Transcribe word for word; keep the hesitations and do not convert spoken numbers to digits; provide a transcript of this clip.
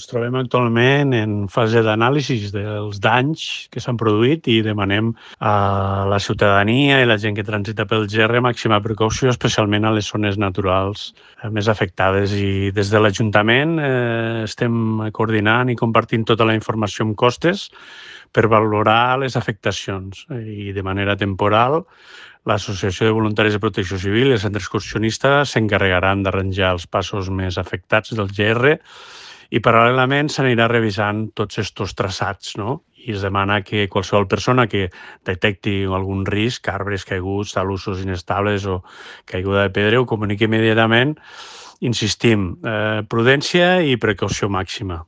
Ens trobem actualment en fase d'anàlisi dels danys que s'han produït i demanem a la ciutadania i la gent que transita pel G R màxima precaució, especialment a les zones naturals més afectades. I des de l'Ajuntament eh, estem coordinant i compartint tota la informació amb costes per valorar les afectacions i de manera temporal l'Associació de Voluntaris de Protecció Civil i el Centre Excursionista s'encarregaran d'arranjar els passos més afectats del G R i paral·lelament s'anirà revisant tots aquests traçats, no? I es demana que qualsevol persona que detecti algun risc, arbres caiguts, talussos inestables o caiguda de pedra, ho comuniqui immediatament. Insistim, eh, prudència i precaució màxima.